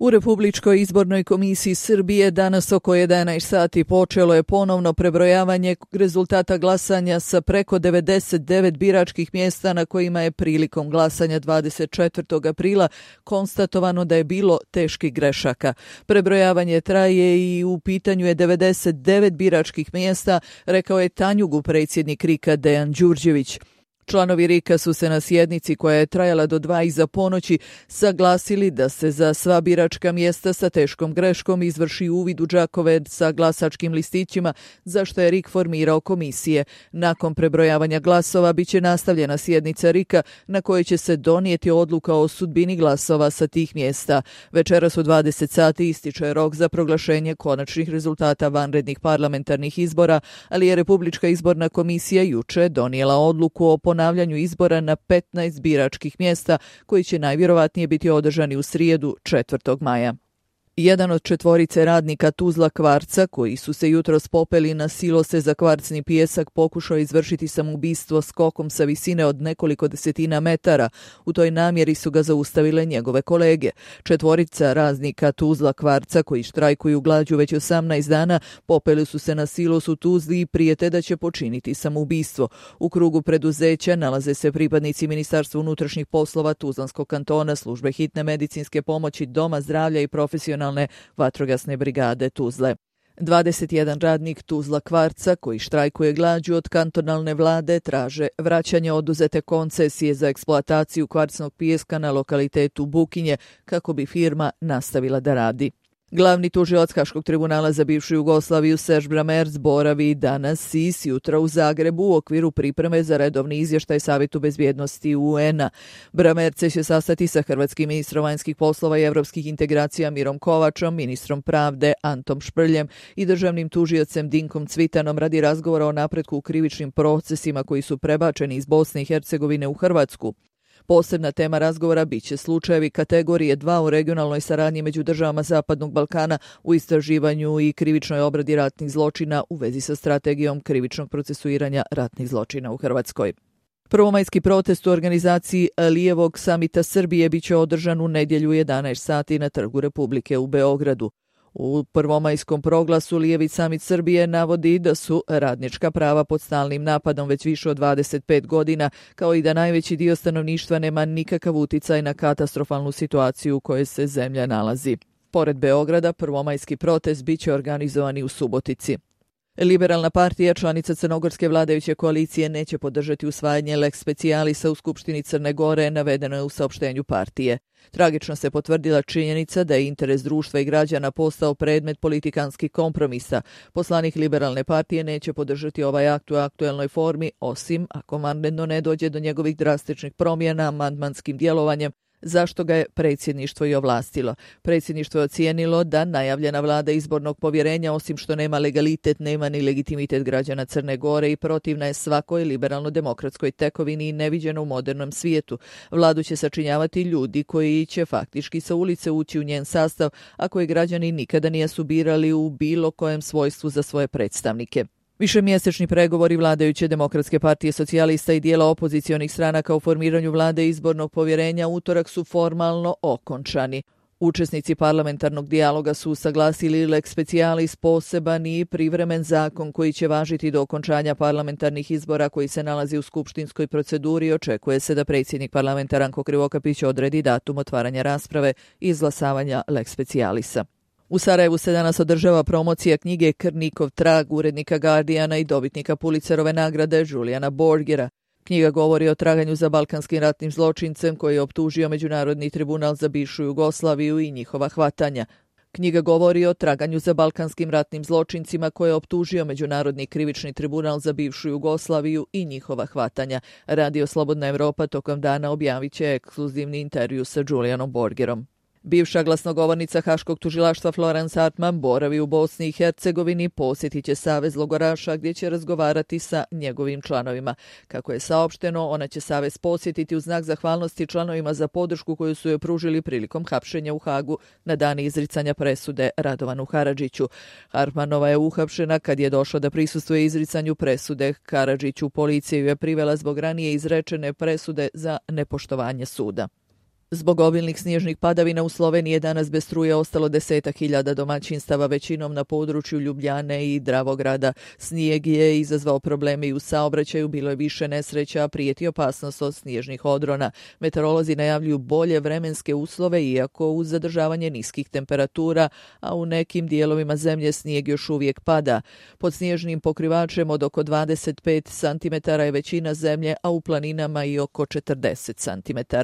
U Republičkoj izbornoj komisiji Srbije danas oko 11 sati počelo je ponovno prebrojavanje rezultata glasanja sa preko 99 biračkih mjesta na kojima je prilikom glasanja 24. aprila konstatovano da je bilo teških grešaka. Prebrojavanje traje i u pitanju je 99 biračkih mjesta, rekao je Tanjugu predsjednik RIK-a Dejan Đurđević. Članovi RIK-a su se na sjednici koja je trajala do 2 iza ponoći saglasili da se za sva biračka mjesta sa teškom greškom izvrši uvid u džakove sa glasačkim listićima, za što je RIK formirao komisije. Nakon prebrojavanja glasova biće nastavljena sjednica RIK-a na kojoj će se donijeti odluka o sudbini glasova sa tih mjesta. Večeras u 20 sati ističe rok za proglašenje konačnih rezultata vanrednih parlamentarnih izbora, ali je Republička izborna komisija juče donijela odluku o ponavljanju izbora na 15 biračkih mjesta koji će najvjerovatnije biti održani u srijedu 4. maja. Jedan od 4 radnika Tuzla Kvarca, koji su se jutros popeli na silose za kvarcni pijesak, pokušao izvršiti samoubistvo skokom sa visine od nekoliko desetina metara. U toj namjeri su ga zaustavile njegove kolege. 4 radnika Tuzla Kvarca, koji štrajkuju glađu već 18 dana, popeli su se na silos u Tuzli i prijete da će počiniti samoubistvo. U krugu preduzeća nalaze se pripadnici Ministarstva unutrašnjih poslova Tuzlanskog kantona, službe hitne medicinske pomoći, doma zdravlja i profesionalne vatrogasne brigade Tuzle. 21 radnik Tuzla Kvarca koji štrajkuje glađu od kantonalne vlade traže vraćanje oduzete koncesije za eksploataciju kvarcnog pijeska na lokalitetu Bukinje kako bi firma nastavila da radi. Glavni tužilac Haškog tribunala za bivšu Jugoslaviju Serž Bramerc boravi danas i sjutra u Zagrebu u okviru pripreme za redovni izvještaj Savjetu bezbjednosti UN-a. Bramerc će se sastati sa hrvatskim ministrom vanjskih poslova i evropskih integracija Mirom Kovačom, ministrom pravde Antom Šprljem i državnim tužiocem Dinkom Cvitanom radi razgovora o napretku u krivičnim procesima koji su prebačeni iz Bosne i Hercegovine u Hrvatsku. Posebna tema razgovora biće slučajevi kategorije 2 u regionalnoj saradnji među državama Zapadnog Balkana u istraživanju i krivičnoj obradi ratnih zločina u vezi sa strategijom krivičnog procesuiranja ratnih zločina u Hrvatskoj. Prvomajski protest u organizaciji Lijevog samita Srbije biće održan u nedjelju 11 sati na Trgu Republike u Beogradu. U prvomajskom proglasu Lijevi samit Srbije navodi da su radnička prava pod stalnim napadom već više od 25 godina, kao i da najveći dio stanovništva nema nikakav uticaj na katastrofalnu situaciju u kojoj se zemlja nalazi. Pored Beograda, prvomajski protest biće organizovan i u Subotici. Liberalna partija, članica crnogorske vladajuće koalicije, neće podržati usvajanje lex specialisa u Skupštini Crne Gore, navedeno je u saopštenju partije. Tragično se potvrdila činjenica da je interes društva i građana postao predmet politikanskih kompromisa. Poslanik Liberalne partije neće podržati ovaj akt u aktuelnoj formi, osim ako vanredno ne dođe do njegovih drastičnih promjena amandmanskim djelovanjem, zašto ga je predsjedništvo i ovlastilo. Predsjedništvo je ocijenilo da najavljena vlada izbornog povjerenja, osim što nema legalitet, nema ni legitimitet građana Crne Gore i protivna je svakoj liberalno-demokratskoj tekovini i neviđeno u modernom svijetu. Vladu će sačinjavati ljudi koji će faktički sa ulice ući u njen sastav, a koje građani nikada nisu birali u bilo kojem svojstvu za svoje predstavnike. Višemjesečni pregovori vladajuće Demokratske partije socijalista i dijela opozicionih stranaka u formiranju vlade izbornog povjerenja utorak su formalno okončani. Učesnici parlamentarnog dijaloga su usaglasili lex specialis, poseban i privremen zakon koji će važiti do okončanja parlamentarnih izbora koji se nalazi u skupštinskoj proceduri i očekuje se da predsjednik parlamenta Ranko Krivokapić odredi datum otvaranja rasprave i izglasavanja lex specialisa. U Sarajevu se danas održava promocija knjige Krnikov trag urednika Guardiana i dobitnika Pulitzerove nagrade Juliana Borgera. Knjiga govori o traganju za balkanskim ratnim zločincem koji je optužio Međunarodni tribunal za bivšu Jugoslaviju i njihova hvatanja. Knjiga govori o traganju za balkanskim ratnim zločincima koje je optužio Međunarodni krivični tribunal za bivšu Jugoslaviju i njihova hvatanja. Radio Slobodna Evropa tokom dana objavit će ekskluzivni intervju sa Julianom Borgerom. Bivša glasnogovornica Haškog tužilaštva Florence Hartman boravi u Bosni i Hercegovini, posjetit će Savez logoraša gdje će razgovarati sa njegovim članovima. Kako je saopšteno, ona će Savez posjetiti u znak zahvalnosti članovima za podršku koju su joj pružili prilikom hapšenja u Hagu na dan izricanja presude Radovanu Karadžiću. Hartmanova je uhapšena kad je došla da prisustvuje izricanju presude Karadžiću. Policija ju je privela zbog ranije izrečene presude za nepoštovanje suda. Zbog obilnih snježnih padavina u Sloveniji je danas bez struje ostalo 10.000 domaćinstava, većinom na području Ljubljane i Dravograda. Snijeg je izazvao probleme i u saobraćaju, bilo je više nesreća, a prijeti opasnost od snježnih odrona. Meteorolozi najavljuju bolje vremenske uslove, iako uz zadržavanje niskih temperatura, a u nekim dijelovima zemlje snijeg još uvijek pada. Pod snježnim pokrivačem od oko 25 cm je većina zemlje, a u planinama i oko 40 cm.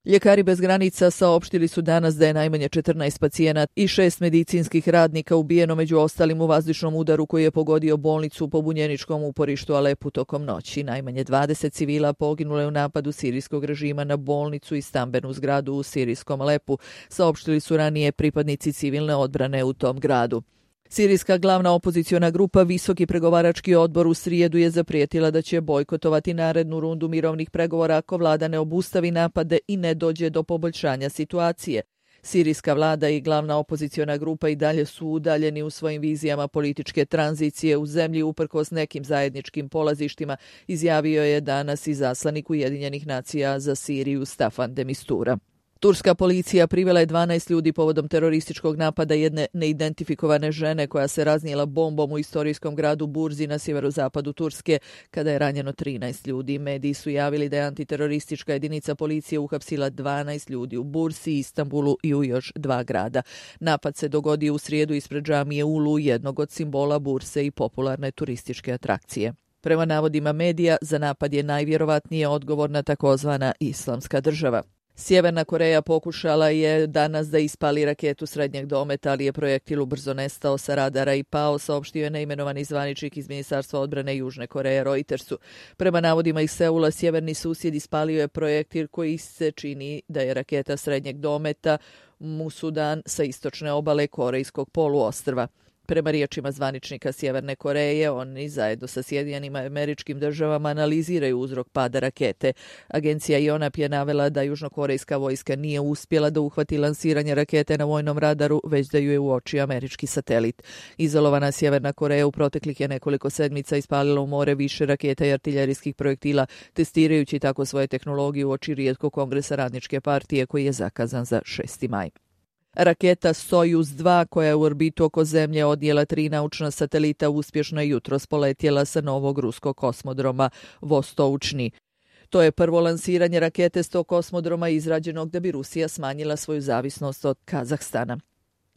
Ljekari bez granica saopštili su danas da je najmanje 14 pacijenata i 6 medicinskih radnika ubijeno, među ostalim u vazdušnom udaru koji je pogodio bolnicu u pobunjeničkom uporištu Alepu tokom noći. Najmanje 20 civila poginulo je u napadu sirijskog režima na bolnicu i stambenu zgradu u sirijskom Alepu, saopštili su ranije pripadnici civilne odbrane u tom gradu. Sirijska glavna opoziciona grupa Visoki pregovarački odbor u srijedu je zaprijetila da će bojkotovati narednu rundu mirovnih pregovora ako vlada ne obustavi napade i ne dođe do poboljšanja situacije. Sirijska vlada i glavna opoziciona grupa i dalje su udaljeni u svojim vizijama političke tranzicije u zemlji uprkos nekim zajedničkim polazištima, izjavio je danas izaslanik Ujedinjenih nacija za Siriju Staffan de Mistura. Turska policija privela je 12 ljudi povodom terorističkog napada jedne neidentifikovane žene koja se raznijela bombom u istorijskom gradu Burzi na sjeverozapadu Turske, kada je ranjeno 13 ljudi. Mediji su javili da je antiteroristička jedinica policije uhapsila 12 ljudi u Bursi, Istanbulu i u još 2 grada. Napad se dogodio u srijedu ispred džamije Ulu, jednog od simbola Burse i popularne turističke atrakcije. Prema navodima medija, za napad je najvjerovatnije odgovorna takozvana Islamska država. Sjeverna Koreja pokušala je danas da ispali raketu srednjeg dometa, ali je projektil ubrzo nestao sa radara i pao, saopštio je neimenovani zvaničnik iz Ministarstva odbrane Južne Koreje Reutersu. Prema navodima iz Seula, sjeverni susjed ispalio je projektil koji se čini da je raketa srednjeg dometa Musudan sa istočne obale Korejskog poluostrva. Prema riječima zvaničnika Sjeverne Koreje, oni zajedno sa Sjedinjenim Američkim Državama analiziraju uzrok pada rakete. Agencija Yonhap je navela da južnokorejska vojska nije uspjela da uhvati lansiranje rakete na vojnom radaru, već da ju je uočio američki satelit. Izolovana Sjeverna Koreja u proteklih je nekoliko sedmica ispalila u more više raketa i artiljerijskih projektila, testirajući tako svoje tehnologije uoči rijetkog kongresa Radničke partije koji je zakazan za 6. maj. Raketa Sojuz-2, koja je u orbitu oko Zemlje odnijela 3 naučna satelita, uspješno je jutros poletjela sa novog ruskog kosmodroma Vostoučni. To je prvo lansiranje rakete s tog kosmodroma izrađenog da bi Rusija smanjila svoju zavisnost od Kazahstana.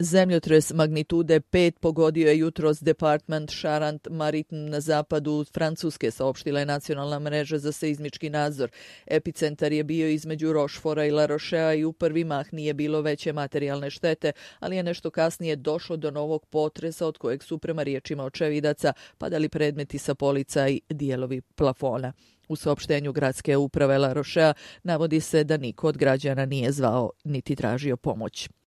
Zemljotres magnitude 5 pogodio je jutros department Charente-Maritime na zapadu Francuske, saopštila je nacionalna mreža za seizmički nadzor. Epicentar je bio između Rochefora i La Rochea i u prvi mah nije bilo veće materijalne štete, ali je nešto kasnije došlo do novog potresa od kojeg su prema riječima očevidaca padali predmeti sa polica i dijelovi plafona. U saopštenju gradske uprave La Rochea navodi se da niko od građana nije zvao niti tražio pomoć.